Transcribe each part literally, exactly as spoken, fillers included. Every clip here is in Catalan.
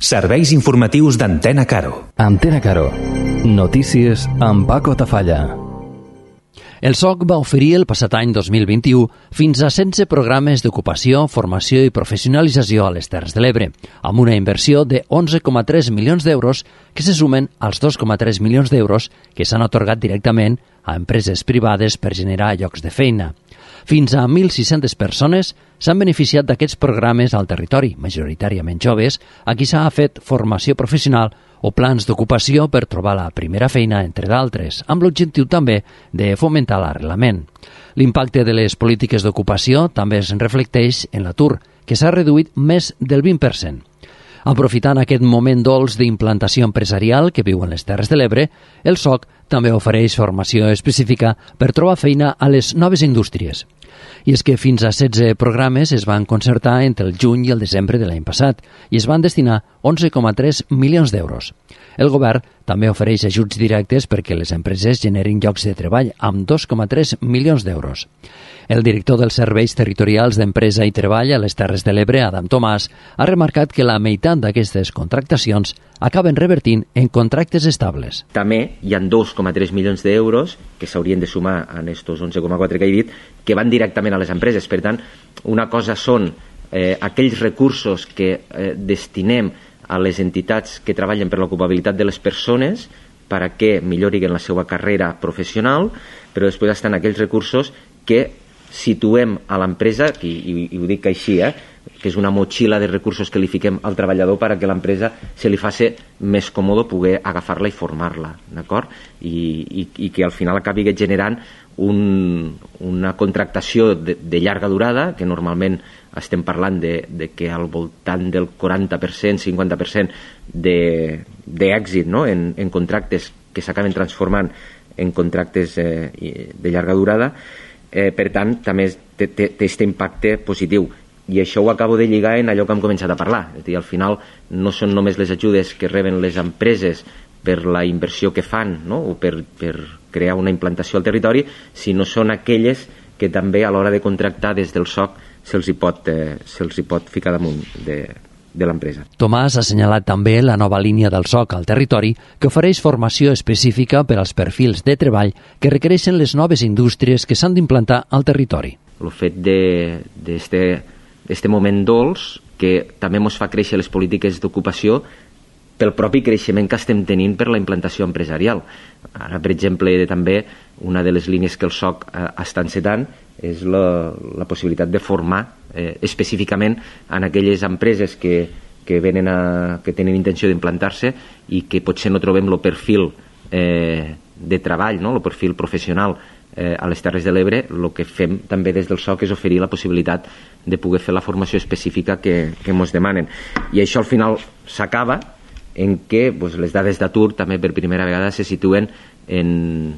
Serveis informatius d'Antena Caro. Antena Caro. Notícies amb Paco Tafalla. El S O C va oferir el passat any dos mil vint-i-u fins a setze programes d'ocupació, formació i professionalització a les Terres de l'Ebre, amb una inversió de onze coma tres milions d'euros que se sumen als dos coma tres milions d'euros que s'han atorgat directament a empreses privades per generar llocs de feina. Fins a mil sis-centes persones s'han beneficiat d'aquests programes al territori, majoritàriament joves, a qui s'ha fet formació professional o plans d'ocupació per trobar la primera feina, entre d'altres, amb l'objectiu també de fomentar l'arrelament. L'impacte de les polítiques d'ocupació també es reflecteix en l'atur, que s'ha reduït més del vint per cent. Aprofitant aquest moment dolç d'implantació empresarial que viuen les Terres de l'Ebre, el S O C també ofereix formació específica per trobar feina a les noves indústries. I és que fins a setze programes es van concertar entre el juny i el desembre de l'any passat i es van destinar onze coma tres milions d'euros. El govern també ofereix ajuts directes perquè les empreses generin llocs de treball amb dos coma tres milions d'euros. El director dels Serveis Territorials d'Empresa i Treball a les Terres de l'Ebre, Adam Tomàs, ha remarcat que la meitat d'aquestes contractacions acaben revertint en contractes estables. També hi ha dos coma tres milions d'euros que s'haurien de sumar en estos onze coma quatre que he dit, que van directament a les empreses. Per tant, una cosa són eh, aquells recursos que eh, destinem a les entitats que treballen per l'ocupabilitat de les persones perquè millorin la seva carrera professional, però després estan aquells recursos que situem a l'empresa, i, i, i ho dic així, eh, que és una motxilla de recursos que li fiquem al treballador perquè l'empresa se li faci més còmode poder agafar-la i formar-la, d'acord? I, i, i que al final acabi generant un, una contractació de, de llarga durada, que normalment estem parlant de, de que al voltant del quaranta per cent, cinquanta per cent d'èxit, no? en, en contractes que s'acaben transformant en contractes eh, de llarga durada. Eh, per tant, també té aquest impacte positiu. I això ho acabo de lligar en allò que hem començat a parlar. És a dir, al final no són només les ajudes que reben les empreses per la inversió que fan, no? O per, per crear una implantació al territori, sinó són aquelles que també a l'hora de contractar des del S O C se'ls hi pot, eh, se'ls hi pot ficar damunt de, de l'empresa. Tomàs ha assenyalat també la nova línia del S O C al territori que ofereix formació específica per als perfils de treball que requereixen les noves indústries que s'han d'implantar al territori. El fet d'aquest moment dolç que també ens fa créixer les polítiques d'ocupació pel propi creixement que estem tenint per la implantació empresarial. Ara, per exemple, també una de les línies que el S O C eh, està encetant és la, la possibilitat de formar eh, específicament en aquelles empreses que, que, venen a, que tenen intenció d'implantar-se i que potser no trobem el perfil eh, de treball, no? El perfil professional eh, a les Terres de l'Ebre. El que fem també des del S O C és oferir la possibilitat de poder fer la formació específica que, que ens demanen. I això al final s'acaba en què pues, les dades d'atur també per primera vegada se situen en,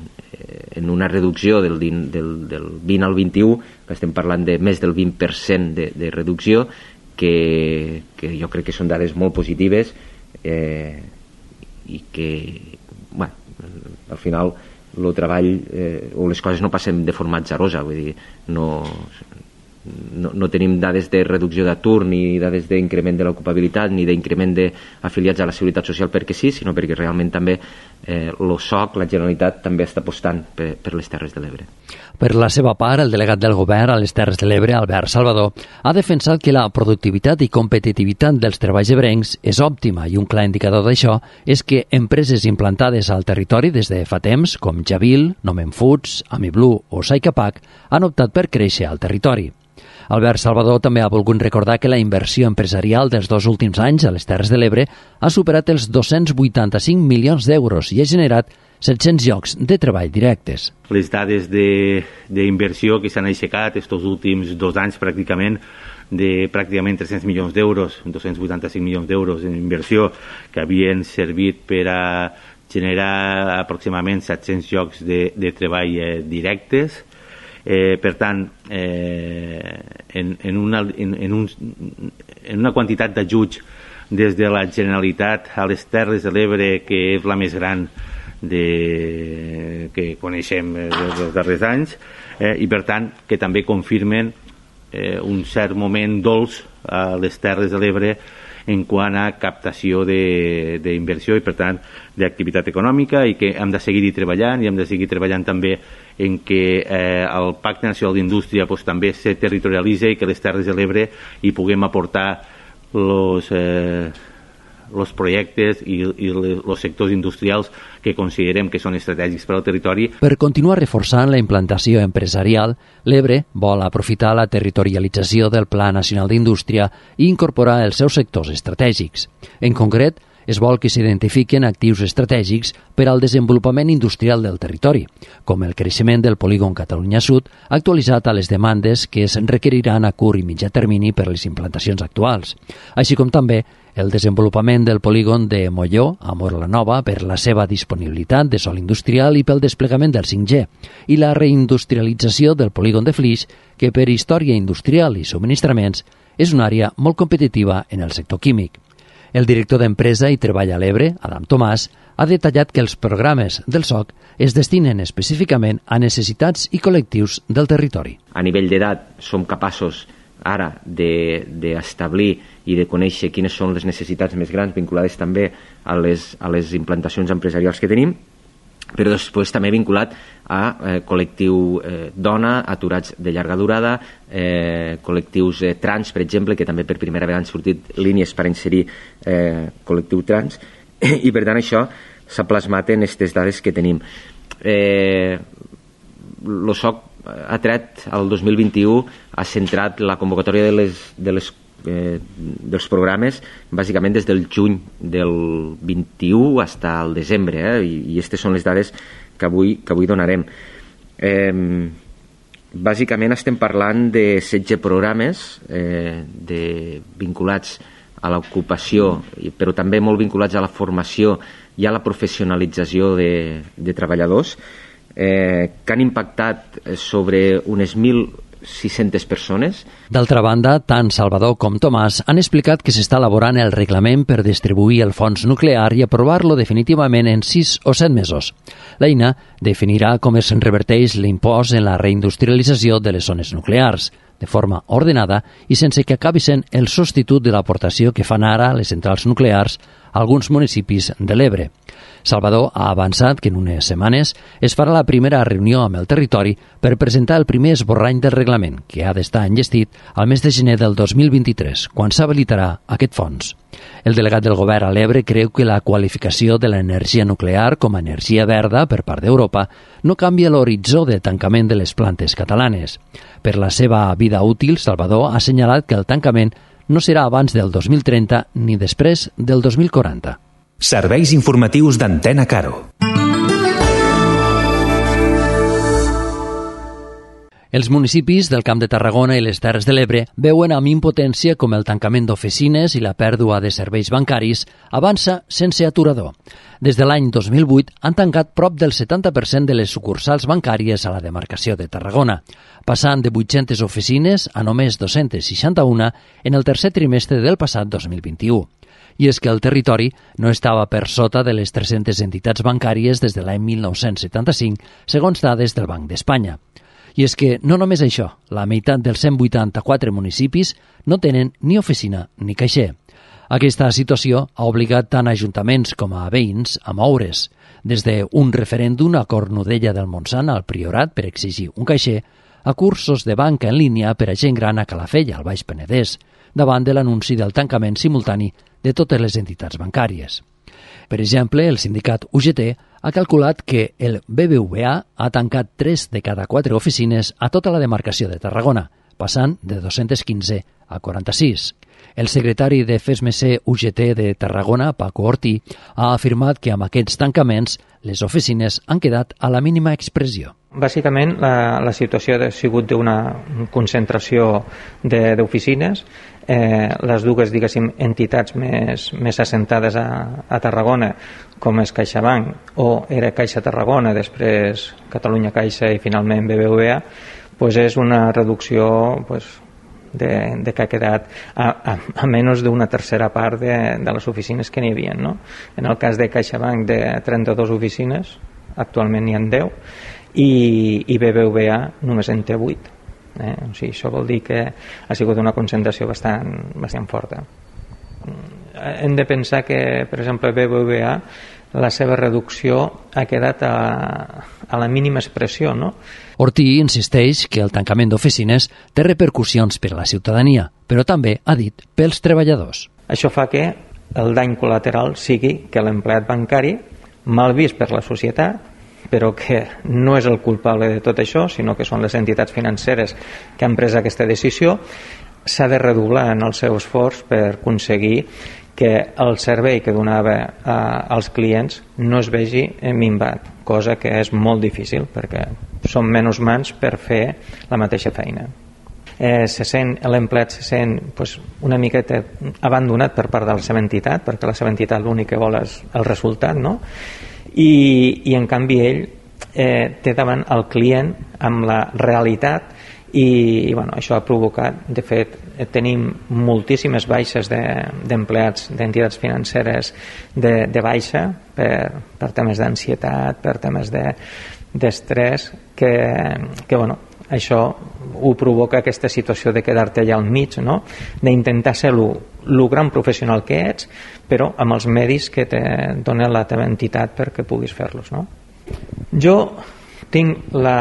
en una reducció del, del, del vint al vint-i-u, que estem parlant de més del vint per cent de, de reducció, que, que jo crec que són dades molt positives eh, i que, bueno, al final el treball eh, o les coses no passen de forma atzarosa, vull dir, no... No, no tenim dades de reducció d'atur ni dades d'increment de l'ocupabilitat ni d'increment d'afiliats a la Seguretat Social perquè sí, sinó perquè realment també eh, el S O C, la Generalitat, també està apostant per, per les Terres de l'Ebre. Per la seva part, el delegat del govern a les Terres de l'Ebre, Albert Salvador, ha defensat que la productivitat i competitivitat dels treballs ebrencs és òptima i un clar indicador d'això és que empreses implantades al territori des de fa temps, com Javil, Nomen Foods, Amiblu o Saicapac, han optat per créixer al territori. Albert Salvador també ha volgut recordar que la inversió empresarial dels dos últims anys a les Terres de l'Ebre ha superat els dos-cents vuitanta-cinc milions d'euros i ha generat set-cents llocs de treball directes. Les dades d'inversió que s'han aixecat aquests últims dos anys pràcticament de pràcticament tres-cents milions d'euros, dos-cents vuitanta-cinc milions d'euros en inversió que havien servit per a generar aproximadament set-cents llocs de, de treball eh, directes. Eh, per tant, eh, en, en, una, en, en, un, en una quantitat d'ajuts des de la Generalitat a les Terres de l'Ebre, que és la més gran de, que coneixem dels darrers anys, eh, i per tant que també confirmen eh, un cert moment dolç a les Terres de l'Ebre en quant a captació d'inversió i, per tant, d'activitat econòmica, i que hem de seguir-hi treballant, i hem de seguir treballant també en que eh, el Pacte Nacional d'Indústria pues, també se territorialitzi i que les Terres de l'Ebre hi puguem aportar els eh, los projectes i, i els sectors industrials que considerem que són estratègics per al territori. Per continuar reforçant la implantació empresarial, l'Ebre vol aprofitar la territorialització del Pla Nacional d'Indústria i incorporar els seus sectors estratègics. En concret, es vol que s'identifiquen actius estratègics per al desenvolupament industrial del territori, com el creixement del polígon Catalunya Sud, actualitzat a les demandes que es requeriran a curt i mitjà termini per les implantacions actuals, així com també el desenvolupament del polígon de Molló a Móra-la-Nova per la seva disponibilitat de sòl industrial i pel desplegament del cinc G, i la reindustrialització del polígon de Flix, que per història industrial i subministraments és una àrea molt competitiva en el sector químic. El director d'Empresa i Treball a l'Ebre, Adam Tomàs, ha detallat que els programes del S O C es destinen específicament a necessitats i col·lectius del territori. A nivell d'edat som capaços ara d'establir i de conèixer quines són les necessitats més grans vinculades també a les, a les implantacions empresarials que tenim, però després també vinculat a eh, col·lectiu eh, dona, aturats de llarga durada, eh, col·lectius eh, trans, per exemple, que també per primera vegada han sortit línies per inserir eh, col·lectiu trans, i per tant això s'ha plasmat en aquestes dades que tenim. Eh, el S O C ha tret el dos mil vint-i-u, ha centrat la convocatòria de les, de les Eh, dels programes bàsicament des del juny del vint-i-u fins al desembre, eh? I, i aquestes són les dades que avui, que avui donarem. Eh, bàsicament estem parlant de setze programes eh, de, vinculats a l'ocupació, però també molt vinculats a la formació i a la professionalització de, de treballadors, eh, que han impactat sobre unes mil sis-centes persones. D'altra banda, tant Salvador com Tomàs han explicat que s'està elaborant el reglament per distribuir el fons nuclear i aprovar-lo definitivament en sis o set mesos. L'eina definirà com es reverteix l'impost en la reindustrialització de les zones nuclears, de forma ordenada i sense que acabi sent el substitut de l'aportació que fan ara les centrals nuclears a alguns municipis de l'Ebre. Salvador ha avançat que en unes setmanes es farà la primera reunió amb el territori per presentar el primer esborrany del reglament, que ha d'estar enllestit al mes de gener del dos mil vint-i-tres, quan s'habilitarà aquest fons. El delegat del govern a l'Ebre creu que la qualificació de l'energia nuclear com a energia verda per part d'Europa no canvia l'horitzó de tancament de les plantes catalanes. Per la seva vida útil, Salvador ha assenyalat que el tancament no serà abans del dos mil trenta ni després del dos mil quaranta. Serveis informatius d'Antena Caro. Els municipis del Camp de Tarragona i les Terres de l'Ebre veuen amb impotència com el tancament d'oficines i la pèrdua de serveis bancaris avança sense aturador. Des de l'any dos mil vuit han tancat prop del setanta per cent de les sucursals bancàries a la demarcació de Tarragona, passant de vuit-centes oficines a només dos-cents seixanta-un en el tercer trimestre del passat dos mil vint-i-u. I és que el territori no estava per sota de les tres-centes entitats bancàries des de l'any mil nou-cents setanta-cinc, segons dades del Banc d'Espanya. I és que no només això, la meitat dels cent vuitanta-quatre municipis no tenen ni oficina ni caixer. Aquesta situació ha obligat tant a ajuntaments com a veïns a moure's, des d'un referèndum a Cornudella del Montsant al Priorat per exigir un caixer, a cursos de banca en línia per a gent gran a Calafell, al Baix Penedès, davant de l'anunci del tancament simultani de totes les entitats bancàries. Per exemple, el sindicat U G T ha calculat que el B B V A ha tancat tres de cada quatre oficines a tota la demarcació de Tarragona, passant de dos-cents quinze a quaranta-sis. El secretari de F E S M C U G T de Tarragona, Paco Ortí, ha afirmat que amb aquests tancaments les oficines han quedat a la mínima expressió. Bàsicament, la, la situació ha sigut d'una concentració d'oficines. Eh, les dues, diguéssim, entitats més, més assentades a, a Tarragona, com és CaixaBank o era Caixa Tarragona, després Catalunya Caixa i finalment B B V A, pues és una reducció pues, de, de que ha quedat a, a, a menys d'una tercera part de, de les oficines que n'hi havia, no? En el cas de CaixaBank, de trenta-dues oficines, actualment n'hi ha deu, i, i B B V A només en té vuit. Eh? O sigui, això vol dir que ha sigut una concentració bastant, bastant forta. hem de pensar que, per exemple, B B V A, la seva reducció ha quedat a, a la mínima expressió, no? Ortí insisteix que el tancament d'oficines té repercussions per a la ciutadania, però també, ha dit, pels treballadors. Això fa que el dany col·lateral sigui que l'empleat bancari, mal vist per la societat, però que no és el culpable de tot això, sinó que són les entitats financeres que han pres aquesta decisió, s'ha de redoblar en el seu esforç per aconseguir que el servei que donava a, als clients no es vegi minvat, cosa que és molt difícil perquè són menys mans per fer la mateixa feina. Eh, se sent, l'empleat se sent pues, una miqueta abandonat per part de la seva entitat, perquè la seva entitat l'únic que vol és el resultat, no? I, i en canvi ell eh, té davant el client amb la realitat i, i bueno, això ha provocat, de fet tenim moltíssimes baixes d'empleats de, d'entitats financeres de, de baixa per, per temes d'ansietat, per temes de, d'estrès que, que bueno, això ho provoca aquesta situació de quedar-te allà al mig, no? D'intentar ser el gran professional que ets, però amb els medis que te dona la teva entitat perquè puguis fer-los, no? Jo tinc la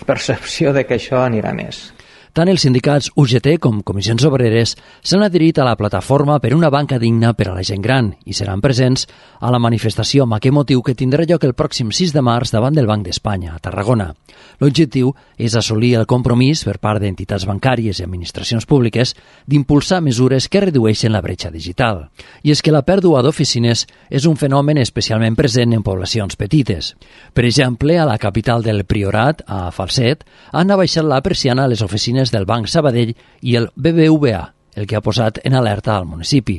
percepció de que això anirà més. Tant els sindicats U G T com Comissions Obreres s'han adherit a la plataforma per una banca digna per a la gent gran i seran presents a la manifestació amb aquest motiu que tindrà lloc el pròxim sis de març davant del Banc d'Espanya, a Tarragona. L'objectiu és assolir el compromís per part d'entitats bancàries i administracions públiques d'impulsar mesures que redueixen la bretxa digital. I és que la pèrdua d'oficines és un fenomen especialment present en poblacions petites. Per exemple, a la capital del Priorat, a Falset, han abaixat la persiana a les oficines del Banc Sabadell i el B B V A, el que ha posat en alerta al municipi.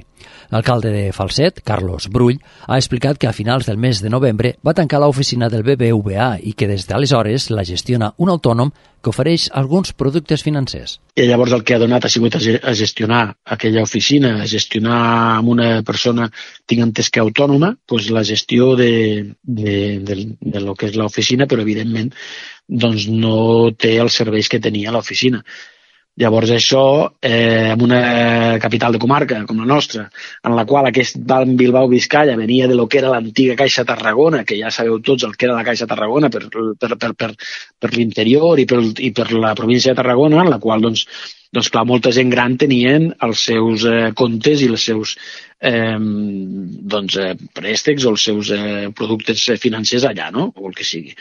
L'alcalde de Falset, Carlos Brull, ha explicat que a finals del mes de novembre va tancar l'oficina del B B V A i que des d'aleshores la gestiona un autònom que ofereix alguns productes financers. I llavors el que ha donat ha sigut a gestionar aquella oficina, a gestionar amb una persona, tinc entès que autònoma, doncs la gestió de, de, de, de lo que és l'oficina, però evidentment doncs no té els serveis que tenia l'oficina. Llavors això, eh, en una capital de comarca com la nostra, en la qual aquest Banc Bilbao Vizcaya venia de lo que era l'antiga Caixa Tarragona, que ja sabeu tots el que era la Caixa Tarragona per, per, per, per, per l'interior i per, i per la província de Tarragona, en la qual doncs, doncs clar, molta gent gran tenien els seus eh, comptes i els seus eh, doncs, eh, préstecs o els seus eh, productes financers allà, no? O el que sigui.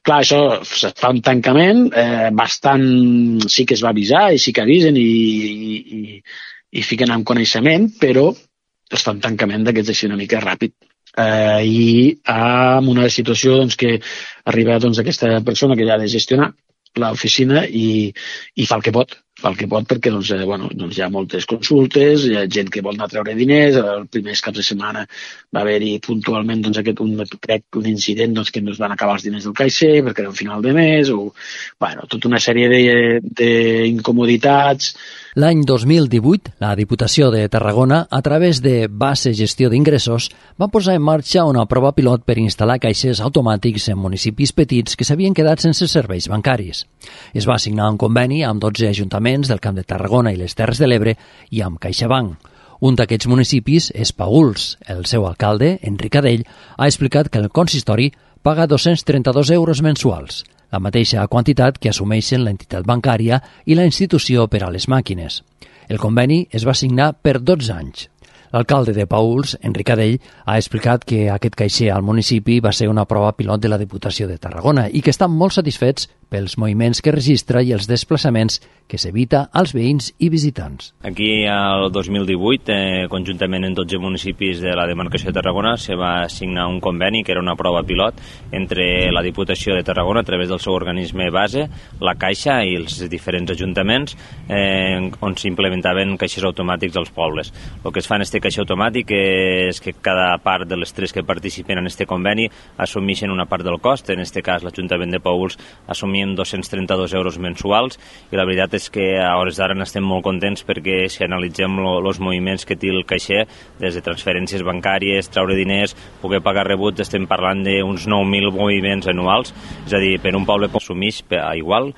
Clar, això es fa un tancament, eh, bastant sí que es va avisar i sí que avisen i, i, i, i fiquen en coneixement, però es fa un tancament d'aquests així una mica ràpid. Eh, I amb una situació doncs, que arriba doncs, aquesta persona que ja ha de gestionar l'oficina i, i fa el que pot, fa el que pot perquè doncs, eh, bueno, doncs hi ha moltes consultes, hi ha gent que vol anar a treure diners, els primers caps de setmana va haver-hi puntualment doncs, aquest, un, crec, un incident doncs, que ens van acabar els diners del caixer perquè era un final de mes, o bueno, tota una sèrie d'incomoditats. L'any dos mil divuit, la Diputació de Tarragona, a través de Base Gestió d'Ingressos, va posar en marxa una prova pilot per instal·lar caixers automàtics en municipis petits que s'havien quedat sense serveis bancaris. Es va signar un conveni amb dotze ajuntaments del Camp de Tarragona i les Terres de l'Ebre i amb CaixaBank. Un d'aquests municipis és Paüls. El seu alcalde, Enric Adell, ha explicat que el consistori paga dos-cents trenta-dos euros mensuals, la mateixa quantitat que assumeixen l'entitat bancària i la institució per a les màquines. El conveni es va signar per dotze anys. L'alcalde de Paüls, Enric Adell, ha explicat que aquest caixer al municipi va ser una prova pilot de la Diputació de Tarragona i que estan molt satisfets pels moviments que registra i els desplaçaments que s'evita als veïns i visitants. Aquí, el dos mil divuit, eh, conjuntament en dotze municipis de la demarcació de Tarragona, se va signar un conveni que era una prova pilot entre la Diputació de Tarragona a través del seu organisme base, la Caixa i els diferents ajuntaments eh, on s'implementaven caixers automàtics als pobles. El que es fa en aquest caixer automàtic és que cada part de les tres que participen en aquest conveni assumeixen una part del cost. En aquest cas, l'Ajuntament de Paüls assumia dos-cents trenta-dos euros mensuals i la veritat és que a hores d'ara n'estem molt contents perquè si analitzem els moviments que té el caixer, des de transferències bancàries, treure diners, poder pagar rebuts, estem parlant d'uns nou mil moviments anuals, és a dir, per un poble que assumeix igual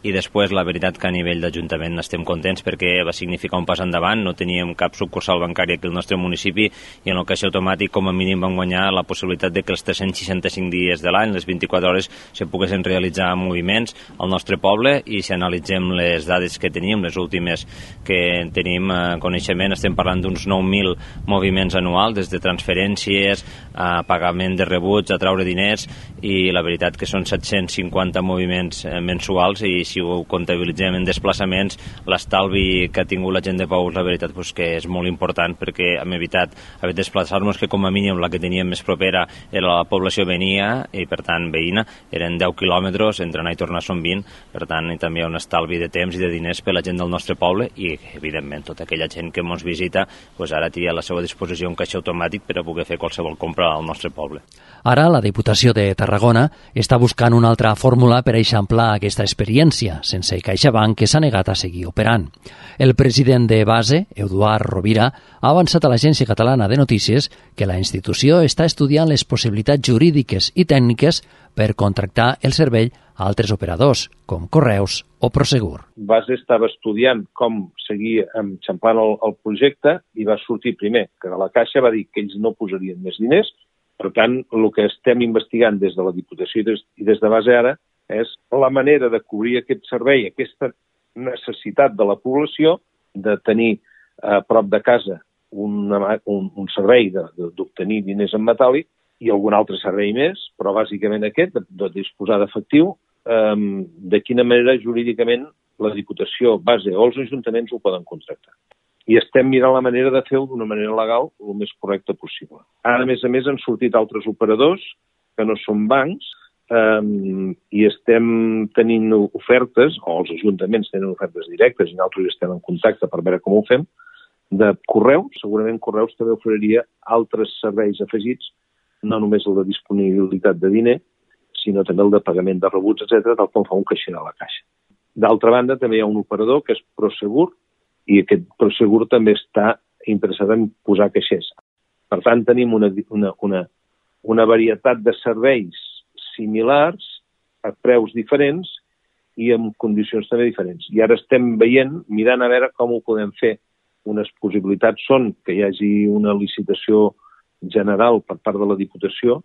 i després la veritat que a nivell d'Ajuntament estem contents perquè va significar un pas endavant, no teníem cap sucursal bancària aquí al nostre municipi i en el caixer automàtic com a mínim vam guanyar la possibilitat de que els tres-cents seixanta-cinc dies de l'any, les vint-i-quatre hores, se poguessin realitzar moviments al nostre poble i si analitzem les dades que teníem, les últimes que tenim eh, coneixement, estem parlant d'uns nou mil moviments anuals, des de transferències a pagament de rebuts, a traure diners i la veritat que són set-cents cinquanta moviments eh, mensuals i si ho comptabilitzem en desplaçaments, l'estalvi que ha tingut la gent de Paüls, la veritat pues, que és molt important perquè hem evitat haver de desplaçar-nos, que com a mínim la que teníem més propera era la població venia i per tant veïna, eren deu quilòmetres, entre anar i tornar són vint, per tant i també hi ha un estalvi de temps i de diners per la gent del nostre poble i evidentment tota aquella gent que ens visita pues, ara té a la seva disposició un caixer automàtic per a poder fer qualsevol compra al nostre poble. Ara la Diputació de Tarragona està buscant una altra fórmula per eixamplar aquesta experiència, sense CaixaBank que s'ha negat a seguir operant. El president de Base, Eduard Rovira, ha avançat a l'Agència Catalana de Notícies que la institució està estudiant les possibilitats jurídiques i tècniques per contractar el servei a altres operadors, com Correus o Prosegur. Base estava estudiant com seguir enxampant el, el projecte i va sortir primer que la Caixa va dir que ells no posarien més diners. Per tant, el que estem investigant des de la Diputació i des, i des de Base ara és la manera de cobrir aquest servei, aquesta necessitat de la població de tenir a prop de casa una, un, un servei d'obtenir diners en metàl·lic i algun altre servei més, però bàsicament aquest, de, de disposar d'efectiu, eh, de quina manera jurídicament la Diputació, Base o els ajuntaments ho poden contractar. I estem mirant la manera de fer-ho d'una manera legal el més correcta possible. Ara, a més a més, han sortit altres operadors que no són bancs eh, i estem tenint ofertes, o els ajuntaments tenen ofertes directes i nosaltres estem en contacte per veure com ho fem, de Correus. Segurament Correus també oferiria altres serveis afegits, no només el de disponibilitat de diner, sinó també el de pagament de rebuts, etcètera, tal com fa un caixer de la Caixa. D'altra banda, també hi ha un operador que és Prosegur, i aquest Prosegur també està interessat en posar caixers. Per tant, tenim una, una, una, una varietat de serveis similars, a preus diferents i amb condicions també diferents. I ara estem veient, mirant a veure com ho podem fer. Unes possibilitats són que hi hagi una licitació general per part de la Diputació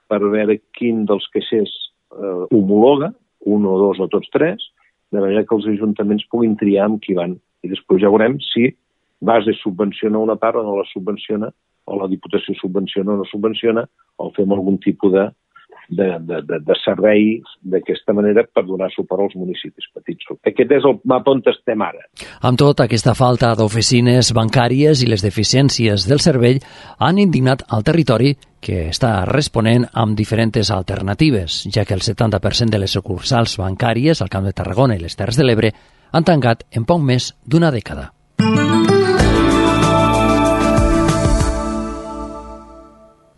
per veure quin dels caixers eh, homologa, un o dos o tots tres, de manera que els ajuntaments puguin triar amb qui van. I després ja veurem si Base subvenciona una part o no la subvenciona, o la Diputació subvenciona o no subvenciona, o fem algun tipus de, de, de, de, de servei d'aquesta manera per donar suport als municipis petits. Aquest és el mapa on estem ara. Amb tot, aquesta falta d'oficines bancàries i les deficiències del servei han indignat al territori que està responent amb diferents alternatives, ja que el setanta per cent de les sucursals bancàries al Camp de Tarragona i les Terres de l'Ebre han tancat en poc més d'una dècada.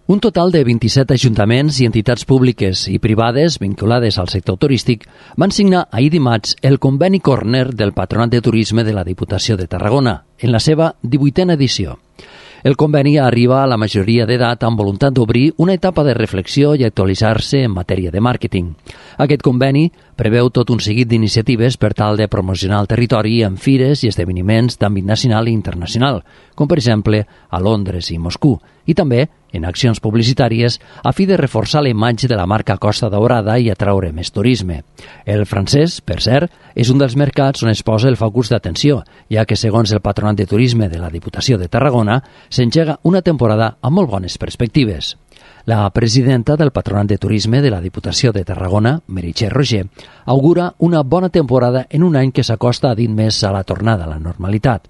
Un total de vint-i-set ajuntaments i entitats públiques i privades vinculades al sector turístic van signar ahir dimarts el conveni Corner del Patronat de Turisme de la Diputació de Tarragona, en la seva divuitena edició. El conveni arriba a la majoria d'edat amb voluntat d'obrir una etapa de reflexió i actualitzar-se en matèria de màrqueting. Aquest conveni preveu tot un seguit d'iniciatives per tal de promocionar el territori en fires i esdeveniments d'àmbit nacional i internacional, com per exemple a Londres i Moscou, i també en accions publicitàries a fi de reforçar la imatge de la marca Costa Daurada i atraure més turisme. El francès, per cert, és un dels mercats on es posa el focus d'atenció, ja que, segons el Patronat de Turisme de la Diputació de Tarragona, s'engega una temporada amb molt bones perspectives. La presidenta del Patronat de Turisme de la Diputació de Tarragona, Meritxell Roger, augura una bona temporada en un any que s'acosta a dir més a la tornada a la normalitat.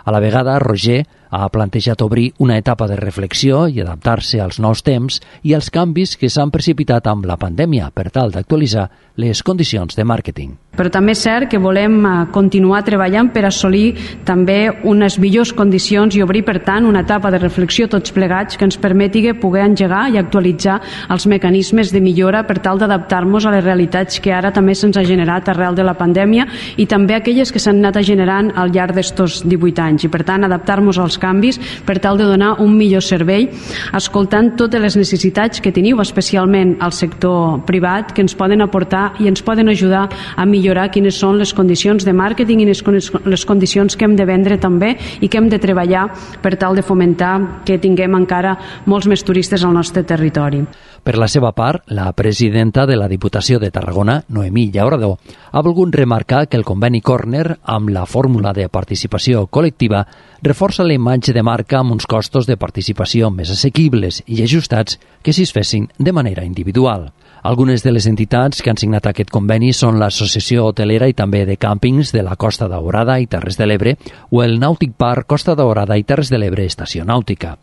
A la vegada, Roger ha plantejat obrir una etapa de reflexió i adaptar-se als nous temps i als canvis que s'han precipitat amb la pandèmia per tal d'actualitzar les condicions de màrqueting. Però també és cert que volem continuar treballant per assolir també unes millors condicions i obrir, per tant, una etapa de reflexió tots plegats que ens permeti poder engegar i actualitzar els mecanismes de millora per tal d'adaptar-nos a les realitats que ara també se'ns ha generat arrel de la pandèmia i també aquelles que s'han anat generant al llarg d'estos divuit anys i, per tant, adaptar-nos als canvis per tal de donar un millor servei, escoltant totes les necessitats que teniu, especialment al sector privat, que ens poden aportar i ens poden ajudar a millorar quines són les condicions de màrqueting i les condicions que hem de vendre també i que hem de treballar per tal de fomentar que tinguem encara molts més turistes al nostre territori. Per la seva part, la presidenta de la Diputació de Tarragona, Noemí Llauradó, ha volgut remarcar que el conveni Corner, amb la fórmula de participació col·lectiva, reforça la imatge de marca amb uns costos de participació més assequibles i ajustats que si es fessin de manera individual. Algunes de les entitats que han signat aquest conveni són l'Associació Hotelera i també de Càmpings de la Costa Daurada i Terres de l'Ebre o el Nàutic Park Costa Daurada i Terres de l'Ebre Estació Nàutica.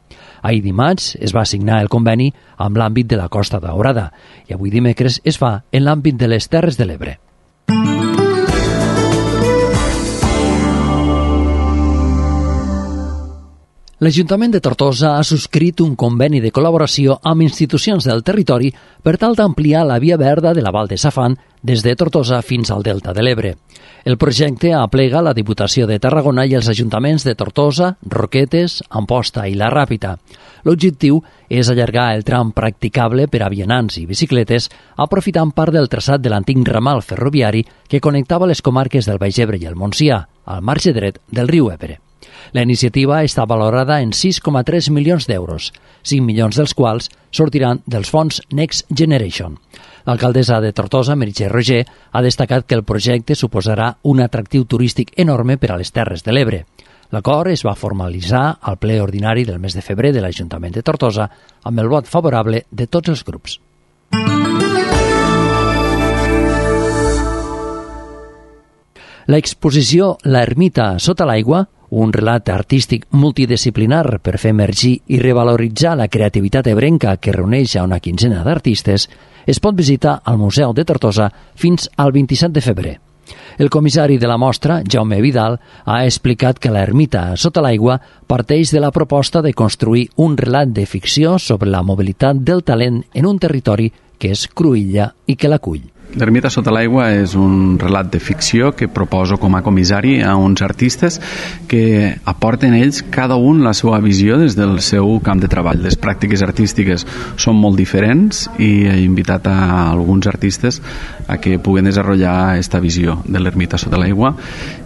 Ahir dimarts es va signar el conveni amb l'àmbit de la Costa Daurada i avui dimecres es fa en l'àmbit de les Terres de l'Ebre. L'Ajuntament de Tortosa ha subscrit un conveni de col·laboració amb institucions del territori per tal d'ampliar la via verda de la Val de Safant des de Tortosa fins al Delta de l'Ebre. El projecte aplega la Diputació de Tarragona i els ajuntaments de Tortosa, Roquetes, Amposta i La Ràpita. L'objectiu és allargar el tram practicable per a vianants i bicicletes, aprofitant part del traçat de l'antic ramal ferroviari que connectava les comarques del Baix Ebre i el Montsià, al marge dret del riu Ebre. La iniciativa està valorada en sis coma tres milions d'euros, cinc milions dels quals sortiran dels fons Next Generation. L'alcaldessa de Tortosa, Meritxell Roger, ha destacat que el projecte suposarà un atractiu turístic enorme per a les Terres de l'Ebre. L'acord es va formalitzar al ple ordinari del mes de febrer de l'Ajuntament de Tortosa amb el vot favorable de tots els grups. L'exposició La ermita sota l'aigua, un relat artístic multidisciplinar per fer emergir i revaloritzar la creativitat ebrenca que reuneix a una quinzena d'artistes, es pot visitar al Museu de Tortosa fins al vint-i-set de febrer. El comissari de la mostra, Jaume Vidal, ha explicat que la ermita sota l'aigua parteix de la proposta de construir un relat de ficció sobre la mobilitat del talent en un territori que és cruïlla i que l'acull. L'ermita sota l'aigua és un relat de ficció que proposo com a comissari a uns artistes que aporten ells cada un la seva visió des del seu camp de treball. Les pràctiques artístiques són molt diferents i he invitat a alguns artistes a que puguen desenvolupar aquesta visió de l'ermita sota l'aigua,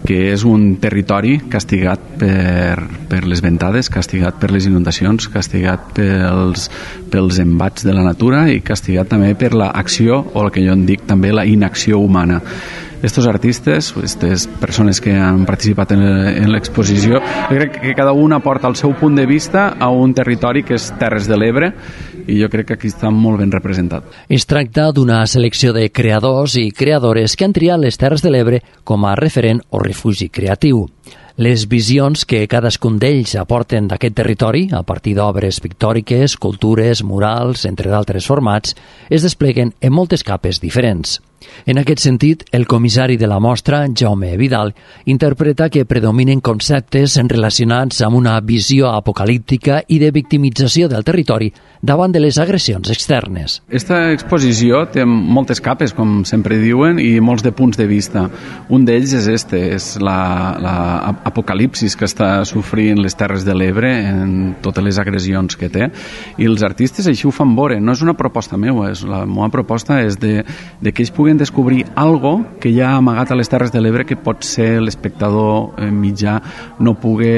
que és un territori castigat per, per les ventades, castigat per les inundacions, castigat pels, pels embats de la natura i castigat també per l'acció, o el que jo en dic també la inacció humana. Estos artistes, aquestes persones que han participat en l'exposició, crec que cada un aporta el seu punt de vista a un territori que és Terres de l'Ebre i jo crec que aquí està molt ben representat. Es tracta d'una selecció de creadors i creadores que han triat les Terres de l'Ebre com a referent o refugi creatiu. Les visions que cadascun d'ells aporten d'aquest territori, a partir d'obres pictòriques, cultures, murals, entre d'altres formats, es despleguen en moltes capes diferents. En aquest sentit, el comissari de la mostra, Jaume Vidal, interpreta que predominen conceptes relacionats amb una visió apocalíptica i de victimització del territori davant de les agressions externes. Esta exposició té moltes capes, com sempre diuen, i molts de punts de vista. Un d'ells és este, és la, la apocalipsis que està sofrint les Terres de l'Ebre en totes les agressions que té, i els artistes així ho fan veure. No és una proposta meva, és la meva proposta és de, de que ells puguen descobrir algo que ja ha amagat a les Terres de l'Ebre que pot ser l'espectador mitjà no pugui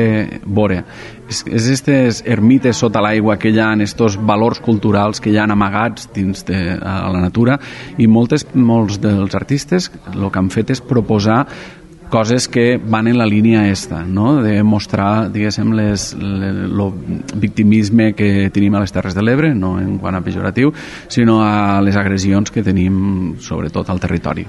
veure. És, és aquestes ermites sota l'aigua que hi ha, estos valors culturals que hi ha amagats dins de a la natura, i moltes, molts dels artistes el que han fet és proposar coses que van en la línia esta, no? De mostrar, diguéssim, les, el victimisme que tenim a les Terres de l'Ebre, no en quant a pejoratiu, sinó a les agressions que tenim sobretot al territori.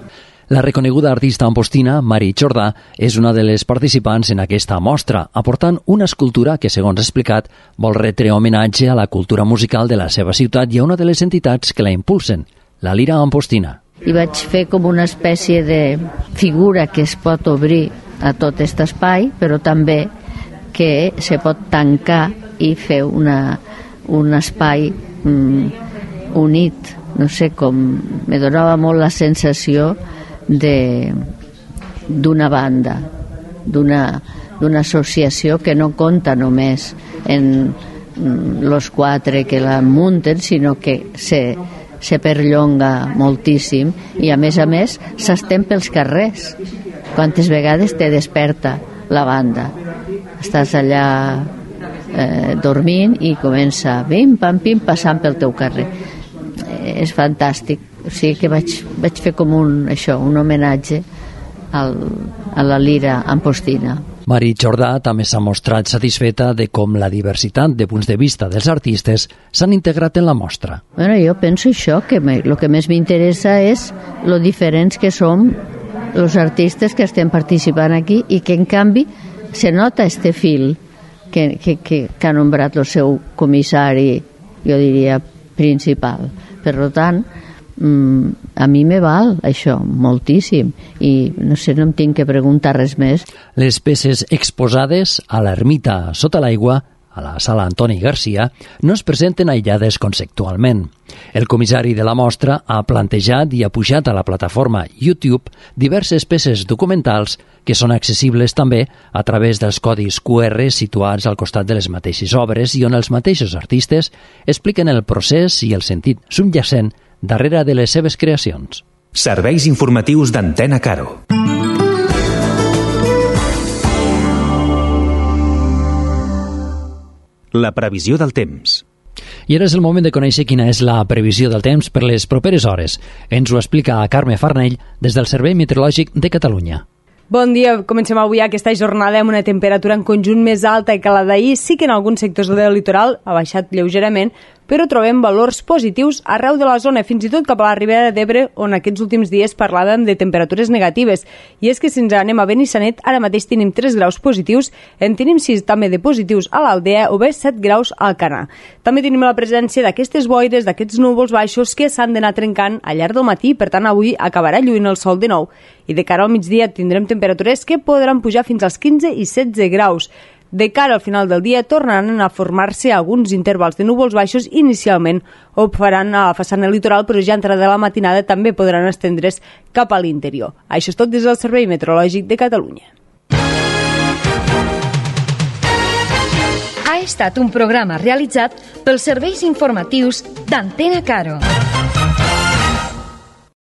La reconeguda artista ampostina, Mari Jordà, és una de les participants en aquesta mostra, aportant una escultura que, segons ha explicat, vol retre homenatge a la cultura musical de la seva ciutat i a una de les entitats que la impulsen, la Lira Ampostina. I vaig fer com una espècie de figura que es pot obrir a tot aquest espai, però també que se pot tancar i fer una, un espai mm, unit. No sé, com me donava molt la sensació de d'una banda, d'una d'una associació que no compta només en los quatre que la munten, sinó que se, se perllonga moltíssim i a més a més s'estén pels carrers. Quantes vegades te desperta la banda, estàs allà eh, dormint i comença pim pam pim passant pel teu carrer. Eh, és fantàstic, o sigui que vaig, vaig fer com un, això, un homenatge al, a la lira ampostina. Mari Jordà també s'ha mostrat satisfeta de com la diversitat de punts de vista dels artistes s'han integrat en la mostra. Bueno, jo penso això, que el que més m'interessa és lo diferents que som els artistes que estem participant aquí i que en canvi se nota este fil que, que, que, que ha nombrat el seu comissari, jo diria, principal. Per tant, a mi me val això moltíssim i no sé, no em tinc que preguntar res més. Les peces exposades a l'ermita sota l'aigua, a la sala Antoni Garcia, no es presenten aïllades conceptualment. El comissari de la mostra ha plantejat i ha pujat a la plataforma YouTube diverses peces documentals que són accessibles també a través dels codis Q R situats al costat de les mateixes obres i on els mateixos artistes expliquen el procés i el sentit subjacent darrere de les seves creacions. Serveis informatius d'Antena Caro. La previsió del temps. I ara és el moment de conèixer quina és la previsió del temps per les properes hores. Ens ho explica Carme Farnell des del Servei Meteorològic de Catalunya. Bon dia, comencem avui aquesta jornada amb una temperatura en conjunt més alta que la d'ahir. Sí que en alguns sectors del litoral ha baixat lleugerament, però trobem valors positius arreu de la zona, fins i tot cap a la Ribera d'Ebre, on aquests últims dies parlàvem de temperatures negatives. I és que si ens anem a Benissanet, ara mateix tenim tres graus positius, en tenim sis també de positius a l'Aldea o bé set graus al Canà. També tenim la presència d'aquestes boires, d'aquests núvols baixos que s'han d'anar trencant al llarg del matí, per tant avui acabarà lluint el sol de nou. I de cara al migdia tindrem temperatures que podran pujar fins als quinze i setze graus. De cara al final del dia tornaran a formar-se alguns intervals de núvols baixos inicialment o faran a la façana litoral, però ja entrada de la matinada també podran estendre's cap a l'interior. Això és tot des del Servei Meteorològic de Catalunya. Ha estat un programa realitzat pels serveis informatius d'Antena Caro.